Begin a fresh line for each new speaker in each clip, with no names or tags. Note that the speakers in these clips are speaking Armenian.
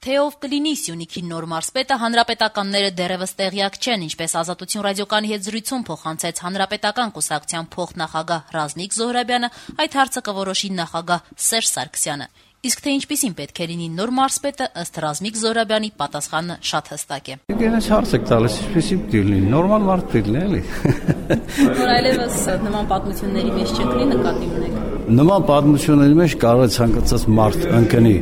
Թե ով կլինի Սյունիքի նոր մարզպետը, հանրապետականները դեռևս տեղյակ չեն, ինչպես Ազատություն ռադիոկայանի հետ զրույցում փոխանցեց Հանրապետական կուսակցության փոխնախագահ Ռազմիկ Զոհրաբյանը, այդ հարցը կորոշի նախագահ Սերժ Սարգսյանը։ Իսկ թե ինչպիսին պետք է լինի նոր մարզպետը, ըստ Ռազմիկ Զոհրաբյանի պատասխանը շատ հստակ է։
Ինձ հարց եք տալիս, ինչպիսին պետք է լինի, նորմալ մարդ պետք է լինի, էլի։
Որ այլևս նման պատմությունների մեջ չկլինի, նկատի ունեք։
Նման պատմությունների մեջ կարող է ցանկացած մարդ ընկնի։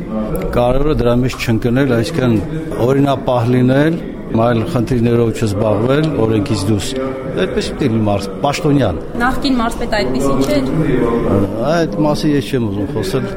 Կարևորը դրա մեջ չընկնել, այսինքն օրինապահ լինել, այլ խնդիրներով չզբաղվել, օրենքից դուրս։ Այդպես պետք է լինի մարդ, պաշտոնյան։
Նախկին մարզպետը այդպեսին չէր։
Այդ մասի ես չեմ ուզում խոսել։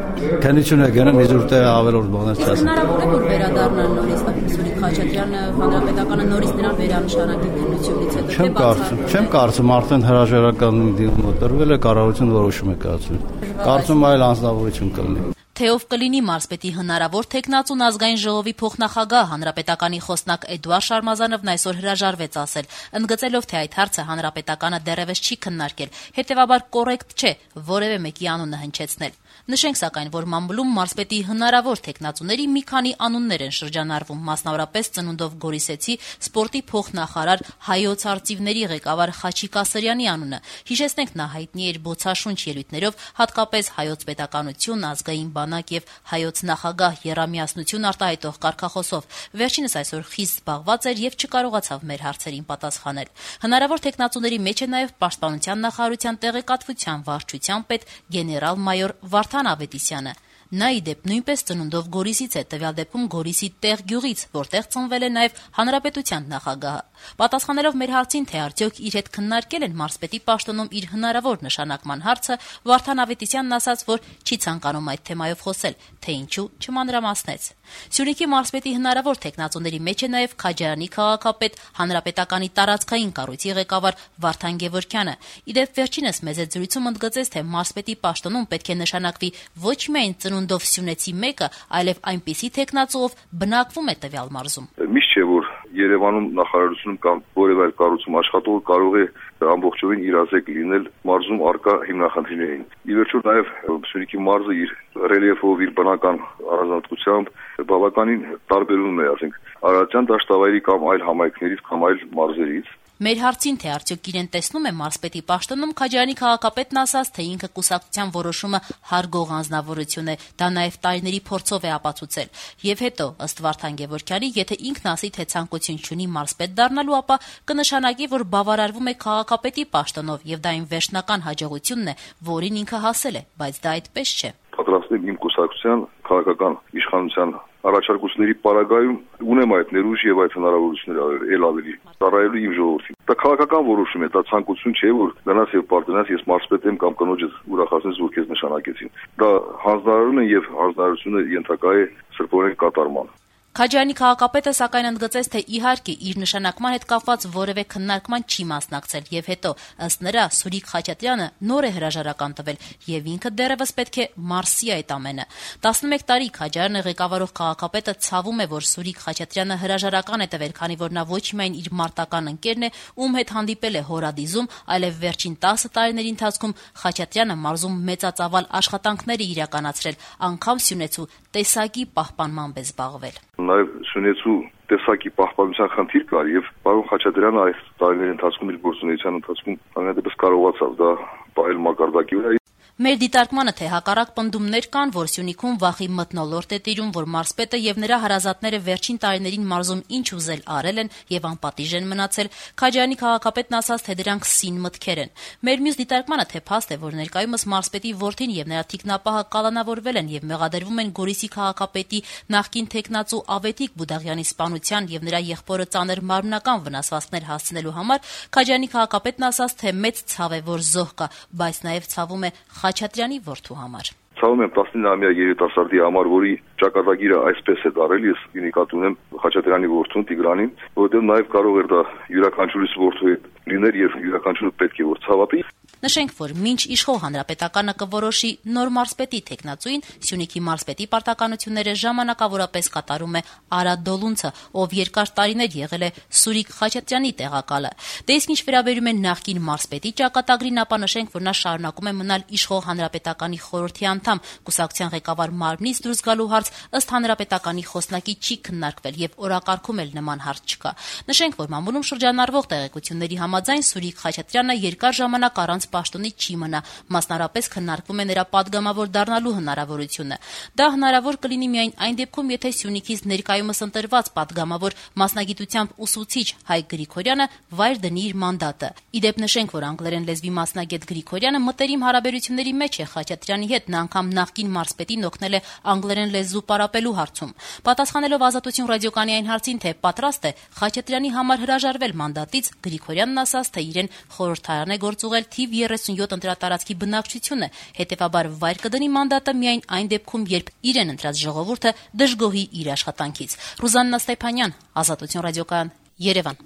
Քննություն է գնում, իզուր տեղ ավելորդ բաներ չասեմ։
Հնարավոր է որ վերադառնան նորից Սուրիկ Խաչատրյանը, հանրապետականը նորից նրան վերանշանակի քննությունից հետո։
Չեմ կարծում, արդեն հրաժարական դիմումը տրվել է, կառավարությունը որոշում է կայացրել։ Կարծում այլ անձնավորություն կլինի։
Թե ով կլինի մարզպետի հնարավոր թեկնածուն ազգային ժողովի փոխնախագահ հանրապետականի խոսնակ Էդուարդ Շարմազանովն այսօր հրաժարվեց ասել, ընդգծելով, թե այդ հարցը հանրապետականը դեռևս չի քննարկել, հետևաբար կոռեկտ չէ որևէ մեկի անունը հնչեցնել։ Նշենք սակայն, որ մամուլում մարզպետի հնարավոր թեկնածուների մի քանի անուններ են շրջանառվում, մասնավորապես ծնունդով Գորիսեցի սպորտի փոխնախարար Հայոց արծիվների ղեկավար Խաչիկ Ասրյանի անունը։ Հիշեցնենք, նա հայտնի էր բոցաշունչ ելույթներով, հատկապես հայոց պետականություն, ազգային բանակ եւ հայոց նախագահ եռամիասնություն արտահայտող կարգախոսով։ Վերջինս այսօր խիստ զբաղված էր եւ չկարողացավ մեր հարցերին պատասխանել։ Հնարավոր թեկնածուների մեջ է նաեւ Պաշտպանության նախարարության տեղեկատվության վարչության պետ գեներալ-մայոր Վարդան Ավետիսյանը։ Նա ի դեպ նույնպես ծնունդով Գորիսից է, տվյալ դեպքում Գորիսի տեղ գյուղից, որտեղ ծնվել է նաև հանրապետության նախագահը։ Պատասխանելով մեր հարցին, թե արդյոք իր հետ քննարկել են մարզպետի պաշտոնում իր հնարավոր նշանակման հարցը, Վարդան Ավետիսյանն ասաց, որ չի ցանկանում այդ թեմայով խոսել, թե ինչու չմանրամասնեց։ Սյունիքի մարզպետի հնարավոր թեկնածուների մեջ է նաև Քաջարյանի քաղաքապետ, հանրապետականի տարածքային կառույցի ղեկավար Վարդան Գևորգյանը։ Ի դեպ վերջինս մեծ զրույցում ընդգծեց, թե մարզպետի պաշտոնում պետք է նշանակվի ոչ միայն ծնունդով Սյունեցի մեկը, այլև այնպիսի թեկնածուով բնակվում է տվյալ մարզում։
Միշտ չէ, որ Երևանում նախարարությունում կամ որևէ այլ կառույցում աշխատողը կարող է ամբողջովին իրազեկ լինել մարզում արկա հիմնախնդիրներին։ Ի վերջո նաև Սյունիքի մարզը իր ռելիեֆով, իր բնական առանձնահատկությամբ բավականին տարբերվում է, ասենք, Արարատյան դաշտավայրի կամ այլ համայնքներից կամ այլ մարզերից։
Մեր հարցին, թե արդյոք իրեն տեսնում է մարզպետի պաշտոնում, Քաջարյանի քաղաքապետն ասաց, թե ինքը կուսակցության որոշումը հարգող անձնավորություն է, դա նաև տարիների փորձով է ապացուցել։ Եվ հետո, ըստ Վարդան Գևորգյանի, եթե ինքն ասի, թե ցանկություն չունի մարզպետ դառնալու, ապա կնշանակի, որ բավարարվում է քաղաքապետի պաշտոնով, եւ դա այն վերջնական հաջողությունն է, որին ինքը հասել է, բայց դա այդպես չէ։
Պատրաստել իմ կուսակցության քաղաքական իշխանության առաջարկությունների պարագայում ունեմ այդ ներուժ եւ այդ հնարավորությունները ել ավելի ծառայելու իմ ժողովրդին։ Դա քաղաքական որոշում է, դա ցանկություն չէ, որ գնաս եւ պարտենաս ես մարզպետ եմ կամ կնոջս ուրախացնես, որ քեզ նշանակեցին։ Դա հանձնարարություն է եւ հանձնարարությունը ենթակա է սրբորեն կատարման։
Քաջարյանի քաղաքապետը սակայն ընդգծեց, թե իհարկե իր նշանակման հետ կապված որևէ քննարկման չի մասնակցել եւ հետո ըստ նրա Սուրիկ Խաչատրյանը նոր է հրաժարական տվել եւ ինքը դեռևս պետք է մարսի այդ ամենը։ 11 տարի Քաջարյանը ղեկավարող քաղաքապետը ցավում է, որ Սուրիկ Խաչատրյանը հրաժարական է տվել, քանի որ նա ոչ միայն իր մարտական ընկերն է, ում հետ հանդիպել է հորադիզում, այլև վերջին 10 տարիների ընթացքում Խաչատրյանը մարզում մեծածավալ աշխատանքներ է իրականացրել, անգամ Սյունեցու տեսակի պահպանմամբ է զբաղվել։
Նաև Սյունեցու տեսակի պահպանության խնդիր կար եւ պարոն Խաչատրյանը այս տարիների ընթացքում իր գործունեության ընթացքում այնպես կարողացավ դա պահել մակարդակի վրա։
Մեր դիտարկմանը, թե հակառակ պնդումներ կան, որ Սյունիքում վախի մթնոլորտ է տիրում, որ մարզպետը եւ նրա հարազատները վերջին տարիներին մարզում ինչ ուզել արել են եւ անպատիժ են մնացել, Քաջարյանի քաղաքապետն ասաց, թե դրանք սին մտքեր են։ Մեր մյուս դիտարկմանը, թե փաստ է, որ ներկայումս մարզպետի որդին եւ նրա թիկնապահը կալանավորվել են եւ մեղադրվում են Գորիսի քաղաքապետի նախկին թեկնածու Ավետիք Բուդաղյանի սպանության եւ նրա եղբորը ծանր մարմնական վնասվածքներ հասցնելու համար, Քաջարյանի քաղաքապետն ասաց, թե մեծ ցավ է, որ զոհ կա, բայց նաեւ ցավում է Խաչատրյանի որդու համար։
Ցավում եմ 19-ամյա երիտասարդի համար, որի ճակատագիրը այսպես է դարել, ես նկատի ունեմ Խաչատրյանի որդուն Տիգրանին, որովհետև նաև կարող էր դա յուրաքանչյուրիս որդու հետ լիներ եւ յուրաքանչյուրը պետք է որ ցավատի։
Նշենք, որ մինչ իշխող հանրապետականը կորոշի նոր մարզպետի թեկնածուին, Սյունիքի մարզպետի պարտականությունները ժամանակավորապես կատարում է Արա Դոլունցը, ով երկար տարիներ եղել է Սուրիկ Խաչատրյանի տեղակալը։ Դե իսկ ինչ վերաբերում է նախկին մարզպետի ճակատագրին, ապա նշենք, որ նա շարունակում է մնալ իշխող հանրապետականի խորհրդի անդամ։ Կուսակցության ղեկավար մարմնից դուրս գալու հարց ըստ հանրապետականի խոսնակի չի քննարկվել եւ օրակարգում էլ նման հարց չկա։ Նշենք, որ մամուլում շրջանառվող տեղեկությունների համաձայն Սուրիկ Խաչատրյանը երկար ժամանակ առանց պաշտոնի չի մնա, մասնարապես քննարկվում է նրա պատգամավոր դառնալու հնարավորությունը։ Դա հնարավոր կլինի միայն այն դեպքում, եթե Սյունիքից ներկայումս ընտրված պատգամավոր մասնագիտությամբ ուսուցիչ Հայկ Գրիգորյանը վայր դնի իր մանդատը։ Ի դեպ նշենք, որ անգլերեն լեզվի մասնագետ Գրիգորյանը մտերիմ հարաբերությունների մեջ է Խաչատրյանի հետ, նա անգամ նախկին մարզպետին օգնել է անգլերեն լեզու պարապելու հարցում։ Պատասխանելով Ազատություն ռադիոկայանի այն հարցին, թե պատրաստ է Խաչատրյանի համար հրաժարվել մանդատից, Գրիգորյանն ասաց, թե իրեն խորհրդարան է գործուղել թիվ 37 ընտրատարածքի բնակչությունը, հետևաբար վայր կդնի մանդատը միայն այն դեպքում, երբ իրեն ընտրած ժողովուրդը դժգոհի իր աշխատանքից։ Ռուզաննա Ստեփանյան, Ազատություն ռադիոկայան, Երևան։